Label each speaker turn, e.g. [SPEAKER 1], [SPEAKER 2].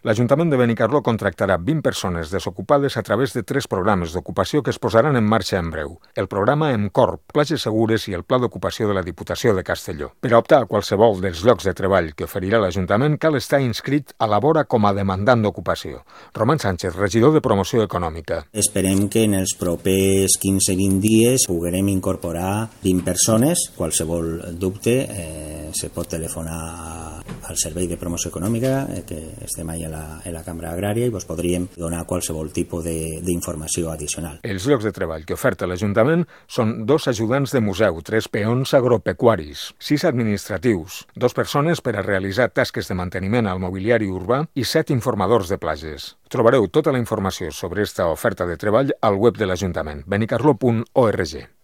[SPEAKER 1] L'Ajuntament de Benicarló contractarà 20 persones desocupades a través de 3 programes d'ocupació que es posaran en marxa en breu. El programa EMCORP, Places Segures i el Pla d'Ocupació de la Diputació de Castelló. Per a optar a qualsevol dels llocs de treball que oferirà l'Ajuntament cal estar inscrit a la vora com a demandant d'ocupació. Roman Sánchez, regidor de Promoció Econòmica.
[SPEAKER 2] Esperem que en els propers 15-20 dies puguem incorporar 20 persones. Qualsevol dubte se pot telefonar al Servei de Promoció Econòmica, que estem allà a la Cambra Agrària, i vos podríem donar qualsevol tipus d'informació addicional.
[SPEAKER 1] Els llocs de treball que oferta l'Ajuntament són 2 ajudants de museu, 3 peons agropecuaris, 6 administratius, 2 persones per a realitzar tasques de manteniment al mobiliari urbà i 7 informadors de platges. Trobareu tota la informació sobre esta oferta de treball al web de l'Ajuntament, benicarló.org.